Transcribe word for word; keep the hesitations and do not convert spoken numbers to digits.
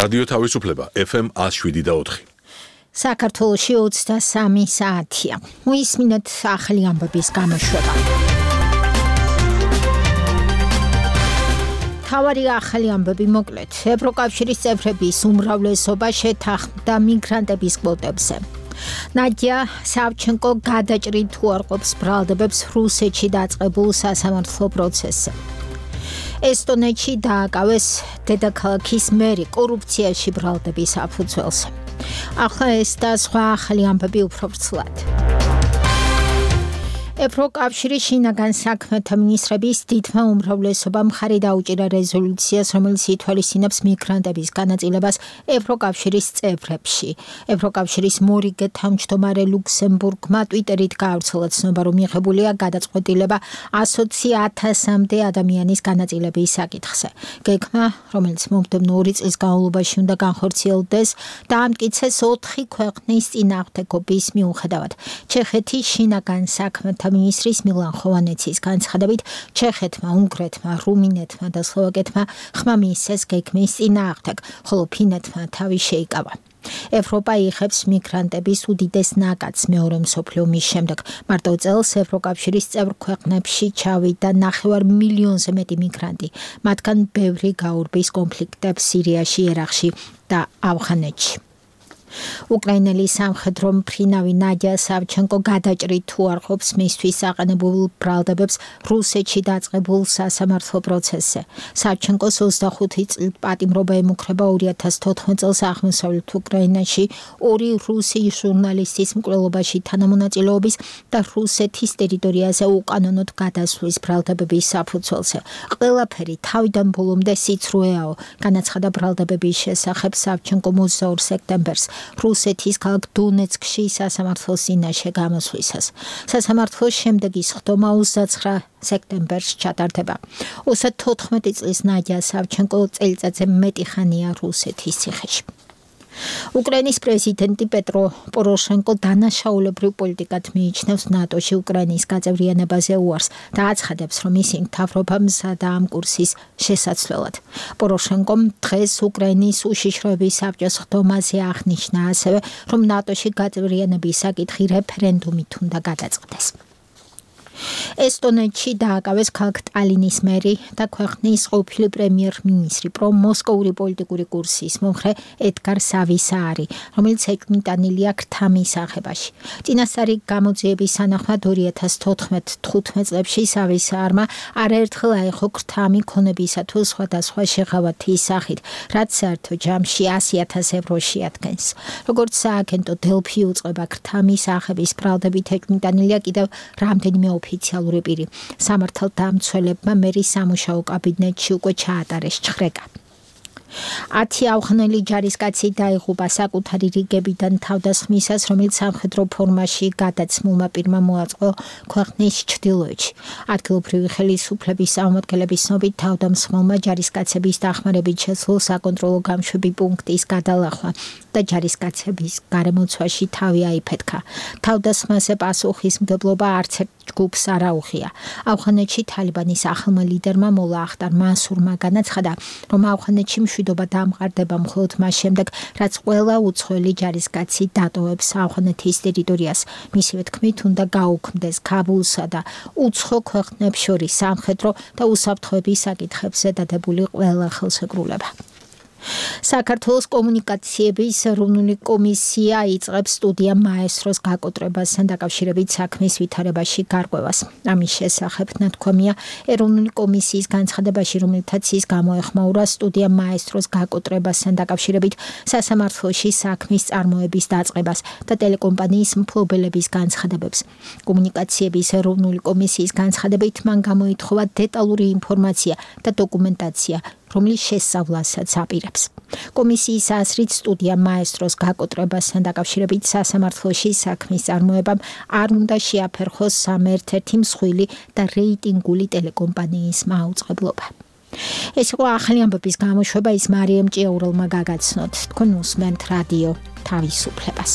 რადიო თავისუფლება F M one oh seven და four. საქართველოში ოცდასამი საათია. მოისმინეთ ახალი ამბების გამოშვება. თავარი ახალი ამბები მოკლედ. ევროკავშირის წევრების უმრავლესობა შეთანხმდა მიგრანტების კვოტებზე. ნადია სავჩენკო გადაჭრით უარყოფს ბრალდებებს რუსეთში დაწყებულ სასამართლო პროცესზე. ესტონეთში დააკავეს დედაქალაქის მერი კორუფციაში ბრალდების საფუძველზე. ახლა ეს და სხვა ახალი ამბები უფრო ვრცლად. ევროკავშირის შინაგან საქმეთა მინისტრების დიდმა უმრავლესობამ მხარი დაუჭირა რეზოლუციას, რომელიც ითვალისწინებს მიგრანტების განაწილებას ევროკავშირის წევრებში. ევროკავშირის მორიგე თავმჯდომარე ლუქსემბურგმა ტვიტერით გაავრცელა ცნობა, რომ მიღებულია გადაწყვეტილება ასოცი ათასამდე ადამიანის განაწილების საკითხზე. გეგმა, რომელიც მომდევნო ორი წლის განმავლობაში უნდა განხორციელდეს, დაამტკიცეს ოთხი ქვეყნის წინააღმდეგობის მიუხედავად. ჩეხეთის შინაგან საქმეთა მინისტრის მილან ხოვანეცის განცხადებით, ჩეხეთმა, უნგრეთმა, რუმინეთმა და სლოვაკეთმა ხმა მიისცეს გეგმის წინააღმდეგ, ხოლო ფინეთმა თავი შეიკავა. ევროპა იღებს მიგრანტების უდიდეს ნაკადს მეორე მსოფლიო ომის შემდეგ. მარტო წელს ევროკავშირის წევრ ქვეყნებში ჩავიდა ნახევარ მილიონზე მეტი მიგრანტი, მათგან ბევრი გაურბის კონფლიქტებს სირიაში, ერაყში და ავღანეთში. უკრაინელი სამხედრო მფრინავი ნადია სავჩენკო გადაჭრით უარყოფს მისთვის აყენებულ ბრალდებებს რუსეთში დაწყებულ სასამართლო პროცესზე. სავჩენკოს ოცდახუთი წლით პატიმრობა ემუქრება ორი ათას თოთხმეტ წელს აღმოსავლეთ უკრაინაში ორი რუსი ჟურნალისტის მკვლელობაში თანამონაწილეობის და რუსეთის ტერიტორიაზე უკანონოდ გადასვლის ბრალდებების საფუძველზე. ყველაფერი თავიდან ბოლომდე სიცრუეაო, განაცხადა ბრალდებების შესახებ სავჩენკო ოცდაორ სექტემბერს. რუსეთის ქალაქ დონეცკში სასამართლოს წინაშე გამოსვლისას. სასამართლოს შემდეგი სხდომა ოცდაცხრა სექტემბერს ჩატარდება. ოცდათოთხმეტი წლის ნადია სავჩენკო წელიწადზე მეტი ხანია რუსეთის ციხეში. უკრაინის პრეზიდენტი პეტრო პოროშენკო დანაშაულებრივ პოლიტიკად მიიჩნევს ნატოში უკრაინის გაწევრიანებაზე უარს და აცხადებს, რომ ისინი მთავრობა მზადაა ამ კურსის შესაცვლელად. პოროშენკომ დღეს უკრაინის უშიშროების საბჭოს სხდომაზე აღნიშნა ასევე, რომ ნატოში გაწევრიანების საკითხი რეფერენდუმით უნდა გადაწყდეს. ესტონეთში დააკავეს ქალაქ ტალინის მერი და ქვეყნის ყოფილი პრემიერ-მინისტრი პრომოსკოვური პოლიტიკური კურსის მომხრე ედგარ სავისაარი, რომელიც ეკმიტანილია ქრთა მისაღებაში. წინასწარი გამოძიების სანახმად ორი ათას თოთხმეტ თხუთმეტ წლებში სავისაარმა არაერთხელ აიღო ქრთა მიქონებისა თუ სხვადასხვა შეღავათის სახით, რაც საერთო ჯამში ასი ათას ევრო შეადგენს. როგორც სააგენტო დელფი უწყება, ქრთა მისაღების ბრალდებით ეკმიტანილია კიდევ რამდენიმე ოფიციალური პირი. სამართალდამცველებმა მერის სამუშაო კაბინეტში უკვე ჩაატარეს ჩხრეკა. ათი ავღანელი ჯარისკაცი დაიღუპა საკუთარი რიგებიდან თავდასხმისას, რომელიც სამხედრო ფორმაში გადაცმულმა პირმა მოაწყო ქვეყნის ჩრდილოეთში. ადგილობრივი ხელისუფლების წარმომადგენლების ცნობით, თავდამსხმელმა ჯარისკაცების დახმარებით შეძლო საკონტროლო გამშვები პუნქტის გადალახვა და ჯარისკაცების გარემოცვაში თავი აიფეთქა. თავდასხმაზე პასუხისმგებლობა არც ერთ ჯგუფს არ აუღია. ავღანეთში თალიბანის ახალმა ლიდერმა მოლა ახტარ მანსურმა განაცხადა, რომ ავღანეთში მშვიდობა დამყარდება მხოლოდ მას შემდეგ, რაც ყველა უცხოელი ჯარისკაცი დატოვებს ავღანეთის ტერიტორიას. მისივე თქმით, უნდა გაუქმდეს ქაბულსა და უცხო ქვეყნებს შორის სამხედრო და უსაფრთხოების საკითხებზე დადებული ყველა ხელშეკრულება. საქართველოს კომუნიკაციების ეროვნული კომისია იწყებს სტუდია მაესტროს გაკოტრებასთან დაკავშირებით საქმის ვითარებაში გარკვევას. ამის შესახებ ნათქვამია ეროვნული კომისიის განცხადებაში, რომელთაც ის გამოეხმაურა სტუდია მაესტროს გაკოტრებასთან დაკავშირებით სასამართლოში საქმის წარმოების დაწყებას და ტელეკომპანიის მფლობელების განცხადებებს. კომუნიკაციების ეროვნული კომისიის განცხადებით მან გამოითხოვა დეტალური ინფორმაცია და დოკუმენტაცია, რომლის შესწავლასაც აპირებს. კომისიის აზრით, სტუდია მაესტროს გაკოტრებასთან დაკავშირებით სასამართლოში საქმის წარმოებამ არ უნდა შეაფერხოს სამ ერთ-ერთი მსხვილი და რეიტინგული ტელეკომპანიის მაუწყებლობა. ეს იყო ახალი ამბების გამოშვება, ის მარიამ ჭიაურელმა გაგაცნოთ. თქვენ უსმენთ რადიო თავისუფლებას.